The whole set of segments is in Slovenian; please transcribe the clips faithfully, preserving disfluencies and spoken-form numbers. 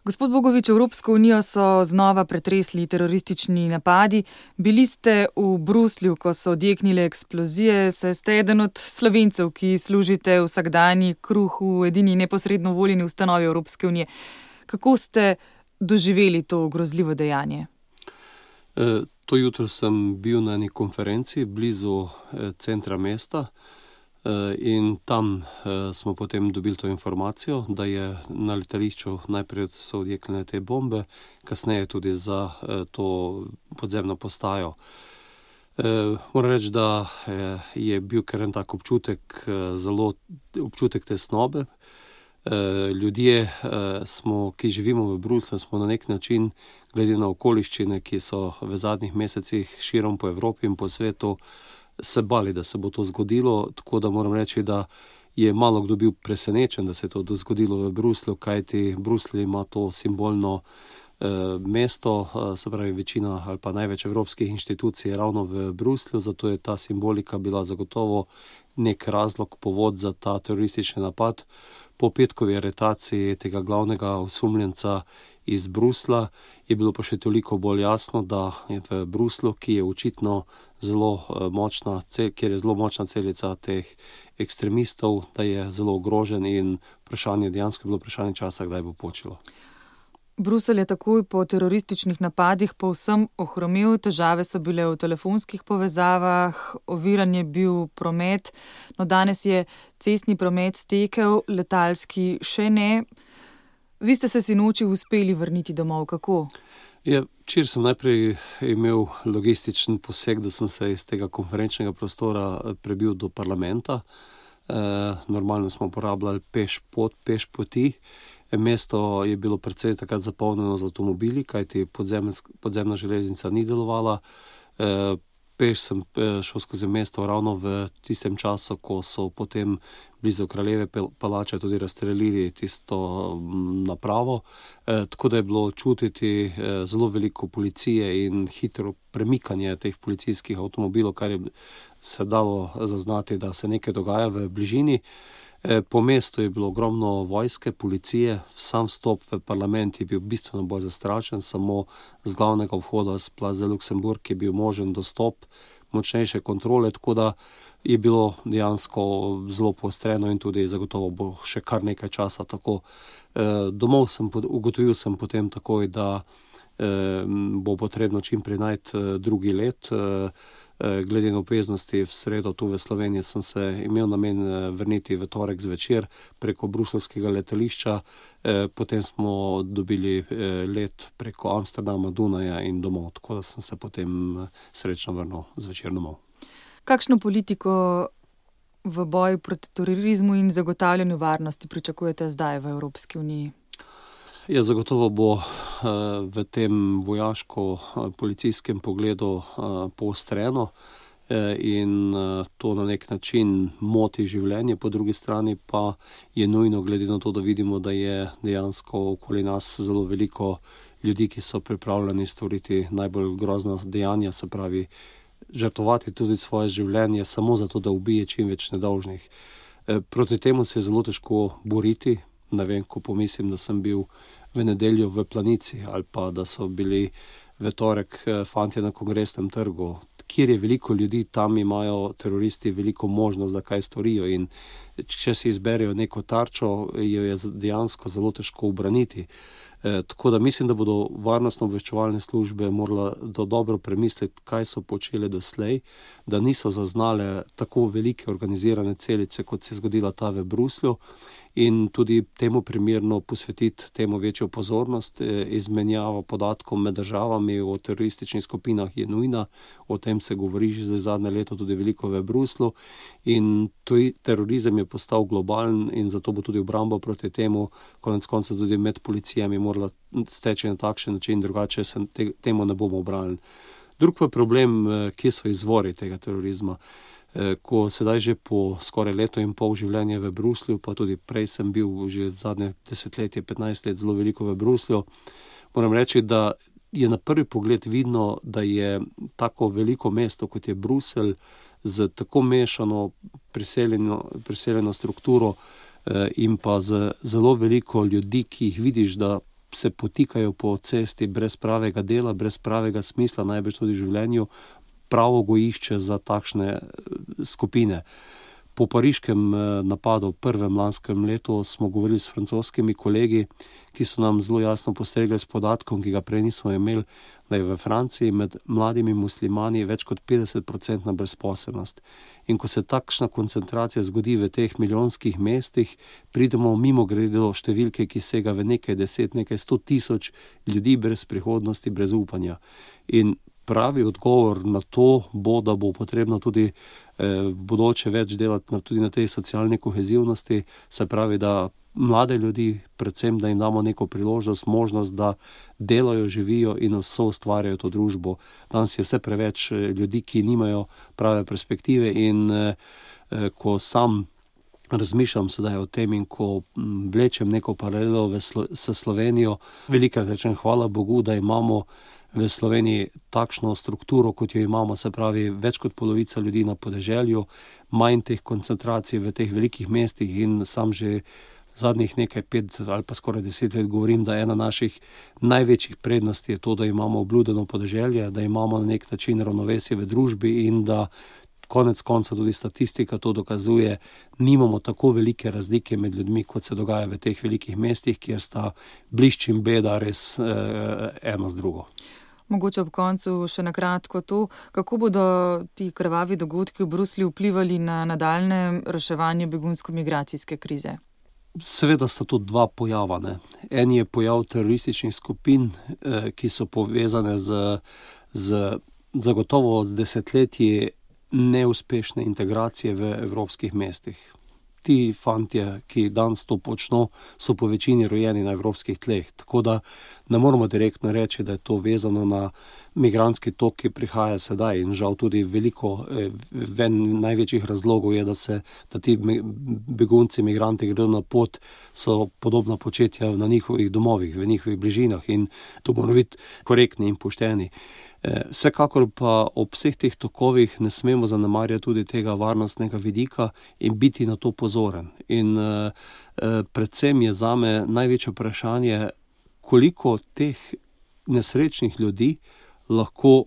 Gospod Bogovič, Evropsko unijo so znova pretresli teroristični napadi. Bili ste v Bruslju, ko so odjeknile eksplozije, saj ste eden od Slovencev, ki služite vsakdanji kruh v edini neposredno voljeni ustanovi Evropske unije. Kako ste doživeli to grozljivo dejanje? E, to jutro sem bil na eni konferenci blizu e, centra mesta. In tam smo potem dobili to informacijo, da je na letališču najprej so odjeknile te bombe, kasneje tudi za to podzemno postajo. Moram reči, da je bil kar en tak občutek, zelo občutek tesnobe. Ljudje, smo, ki živimo v Bruslju, smo na nek način, glede na okoliščine, ki so v zadnjih mesecih širom po Evropi in po svetu, se bali, da se bo to zgodilo, tako da moram reči, da je malo kdo bil presenečen, da se je to zgodilo v Bruslju, kajti Bruslj ima to simbolno eh, mesto, eh, se pravi večina ali pa največ evropskih inštitucij je ravno v Bruslju, zato je ta simbolika bila zagotovo nek razlog, povod za ta teroristični napad. Po petkovi aretaciji tega glavnega osumljenca iz Bruslja je bilo pa še toliko bolj jasno, da je v Bruslju, ki je očitno zelo močna, kjer je zelo močna celica teh ekstremistov, da je zelo ogrožen in vprašanje, dejansko je bilo vprašanje časa, kdaj bo počilo. Bruselj je takoj po terorističnih napadih povsem ohromel, težave so bile v telefonskih povezavah, oviran je bil promet, no danes je cestni promet stekel, letalski še ne. Vi ste se sinoči uspeli vrniti domov, kako? Ja, včeraj sem najprej imel logističen poseg, da sem se iz tega konferenčnega prostora prebil do parlamenta. E, normalno smo uporabljali peš pot, peš poti. Mesto je bilo precej takrat zapolnjeno z avtomobili, kajti podzemna železnica ni delovala. E, peš sem šel skozi mesto ravno v tistem času, ko so potem blizu Kraljeve palače tudi razstrelili tisto napravo. E, tako da je bilo čutiti e, zelo veliko policije in hitro premikanje teh policijskih avtomobilov, kar je se dalo zaznati, da se nekaj dogaja v bližini. Po mestu je bilo ogromno vojske, policije, sam vstop v parlament je bil bistveno bolj zastrašen, samo z glavnega vhoda z Place de Luxembourg je bil možen dostop, močnejše kontrole, tako da je bilo dejansko zelo poostreno in tudi zagotovo bo še kar nekaj časa tako. Domov sem, ugotovil sem potem takoj, da bo potrebno čim prej najti drugi let. Glede na obveznosti v sredo tu v Sloveniji sem se imel namen vrniti v torek zvečer preko bruseljskega letališča, potem smo dobili let preko Amsterdama, Dunaja in domov, tako da sem se potem srečno vrnil zvečer domov. Kakšno politiko v boju proti terorizmu in zagotavljanju varnosti pričakujete zdaj v Evropski uniji? Ja, zagotovo bo v tem vojaško-policijskem pogledu poostreno in to na nek način moti življenje, po drugi strani pa je nujno, glede na to, da vidimo, da je dejansko okoli nas zelo veliko ljudi, ki so pripravljeni storiti najbolj grozna dejanja, se pravi žrtvovati tudi svoje življenje samo zato, da ubije čim več nedolžnih. Proti temu se je zelo težko boriti. Ne vem, ko pomislim, da sem bil v nedeljo v Planici ali pa da so bili v torek fantje na Kongresnem trgu, kjer je veliko ljudi, tam imajo teroristi veliko možnost, da kaj storijo in če si izberejo neko tarčo, jo je dejansko zelo težko ubraniti. E, tako da mislim, da bodo varnostno-obveščevalne službe morale dobro premisliti, kaj so počele doslej, da niso zaznale tako velike organizirane celice, kot se je zgodila ta v Bruslju, in tudi temu primerno posvetiti temu večjo pozornost. Izmenjava podatkov med državami o terorističnih skupinah je nujna, o tem se govori že za zadnje leto tudi veliko v Bruslju in tuj terorizem je postal globalen in zato bo tudi obramba proti temu, konec koncev tudi med policijami morala steči na takšen način, drugače se te, temu ne bomo obranili. Drug pa problem, kje so izvori tega terorizma. Ko sedaj že po skoraj leto in pol življenja v Bruslju, pa tudi prej sem bil že v zadnje desetletje, petnajst let zelo veliko v Bruslju, moram reči, da je na prvi pogled vidno, da je tako veliko mesto, kot je Bruselj, z tako mešano priseljeno, priseljeno strukturo in pa z zelo veliko ljudi, ki jih vidiš, da se potikajo po cesti brez pravega dela, brez pravega smisla, najbrž tudi v življenju, pravo gojišče za takšne skupine. Po pariškem napadu v prvem lanskem letu smo govorili s francoskimi kolegi, ki so nam zelo jasno postregli s podatkom, ki ga prej nismo imeli, da je v Franciji med mladimi muslimani več kot petdeset procentna brezposelnost. In ko se takšna koncentracija zgodi v teh milijonskih mestih, pridemo mimo grede do številke, ki sega v nekaj deset, nekaj sto tisoč ljudi brez prihodnosti, brez upanja. In pravi odgovor na to bo, da bo potrebno tudi eh, v bodoče več delati na, tudi na tej socialni kohezivnosti, se pravi, da mlade ljudi, predvsem, da jim damo neko priložnost, možnost, da delajo, živijo in vso ustvarjajo to družbo. Danes je vse preveč ljudi, ki nimajo prave perspektive in eh, ko sam razmišljam sedaj o tem in ko vlečem neko paralelo v Slo- s Slovenijo, velikrat rečem hvala Bogu, da imamo v Sloveniji takšno strukturo, kot jo imamo, se pravi, več kot polovica ljudi na podeželju, manj teh koncentracij v teh velikih mestih in sam že zadnjih nekaj pet ali pa skoraj deset let govorim, da ena naših največjih prednosti je to, da imamo obludeno podeželje, da imamo na nek način ravnovesje v družbi in da konec konca tudi statistika to dokazuje, nimamo tako velike razlike med ljudmi, kot se dogaja v teh velikih mestih, kjer sta blišč in beda res eh, eno z drugo. Mogoče ob koncu še na kratko to, kako bodo ti krvavi dogodki v Bruslju vplivali na nadaljnje reševanje begunsko-migracijske krize? Seveda sta to dva pojava. Ne? En je pojav terorističnih skupin, eh, ki so povezane z, z zagotovo z desetletji neuspešne integracije v evropskih mestih. Ti fantje, ki danes to počno, so po večini rojeni na evropskih tleh, tako da ne moramo direktno reči, da je to vezano na migrantski tok, ki prihaja sedaj in žal tudi veliko, ven največjih razlogov je, da se, da ti begunci, migranti gredo na pot, so podobna početja na njihovih domovih, v njihovih bližinah in to moramo biti korektni in pošteni. Vsekakor pa ob vseh teh tokovih ne smemo zanemarjati tudi tega varnostnega vidika in biti na to pozoren. In eh, predvsem je zame največje vprašanje, koliko teh nesrečnih ljudi lahko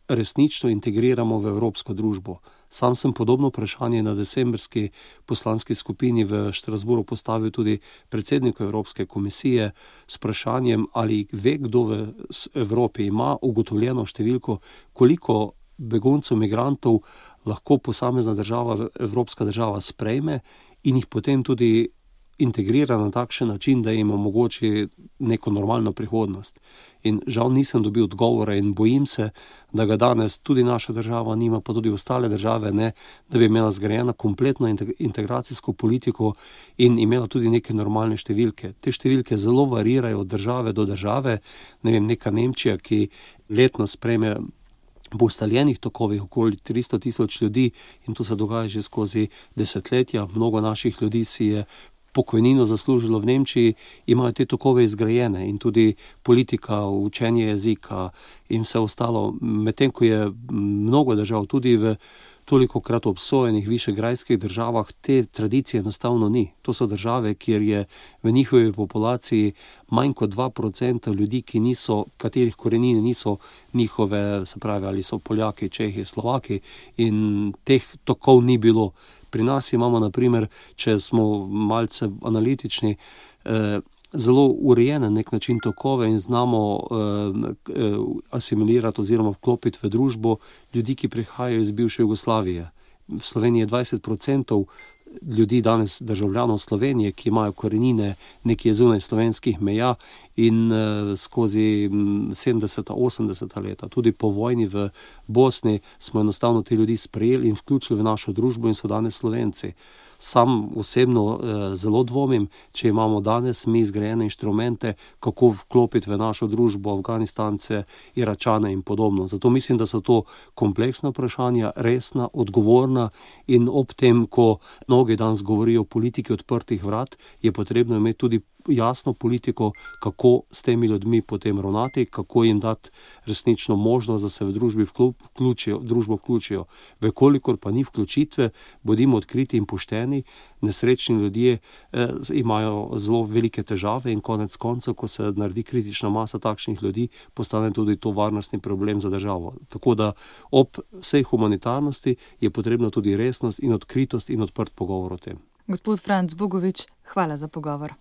resnično integriramo v evropsko družbo. Sam sem podobno vprašanje na decembrski poslanski skupini v Štrasburu postavil tudi predsedniku Evropske komisije s vprašanjem, ali ve, kdo v Evropi ima ugotovljeno številko, koliko beguncev, migrantov lahko posamezna država, evropska država sprejme in jih potem tudi integrira na takšen način, da jim omogoči neko normalno prihodnost. In žal nisem dobil odgovora in bojim se, da ga danes tudi naša država nima, pa tudi ostale države ne, da bi imela zgrajeno kompletno integracijsko politiko in imela tudi neke normalne številke. Te številke zelo varirajo od države do države. Ne vem, neka Nemčija, ki letno sprejme po ustaljenih tokovih okoli tristo tisoč ljudi in to se dogaja že skozi desetletja. Mnogo naših ljudi si je pokojnino zaslužilo v Nemčiji, imajo te tokove izgrajene in tudi politika, učenje jezika in vse ostalo. Medtem ko je mnogo držav tudi v tolikokrat obsojenih višegrajskih državah, te tradicije enostavno ni. To so države, kjer je v njihovi populaciji manj kot dva procenta ljudi, ki niso, katerih korenine niso njihove, se pravi, ali so Poljaki, Čehi, Slovaki in teh tokov ni bilo. Pri nas imamo, na primer, če smo malce analitični, eh, zelo urejene nek način tokove in znamo eh, asimilirati oziroma vklopiti v družbo ljudi, ki prihajajo iz bivše Jugoslavije. V Sloveniji je dvajset procentov ljudi danes državljanov Slovenije, ki imajo korenine nekje zunaj slovenskih meja in uh, skozi sedemdeseta, osemdeseta leta, tudi po vojni v Bosni, smo enostavno te ljudi sprejeli in vključili v našo družbo in so danes Slovenci. Sam osebno uh, zelo dvomim, če imamo danes mi zgrajene inštrumente, kako vklopiti v našo družbo Afganistance, Iračane in podobno. Zato mislim, da so to kompleksna vprašanja, resna, odgovorna in ob tem, ko mnogi danes govorijo o politiki odprtih vrat, je potrebno imeti tudi jasno politiko, kako s temi ljudmi potem ravnati, kako jim dati resnično možnost, da se v družbi vključijo, družbo vključijo. Vekolikor pa ni vključitve, bodimo odkriti in pošteni, nesrečni ljudje eh, imajo zelo velike težave in konec koncev, ko se naredi kritična masa takšnih ljudi, postane tudi to varnostni problem za državo. Tako da ob vsej humanitarnosti je potrebno tudi resnost in odkritost in odprt pogovor o tem. Gospod Franc Bogovič, hvala za pogovor.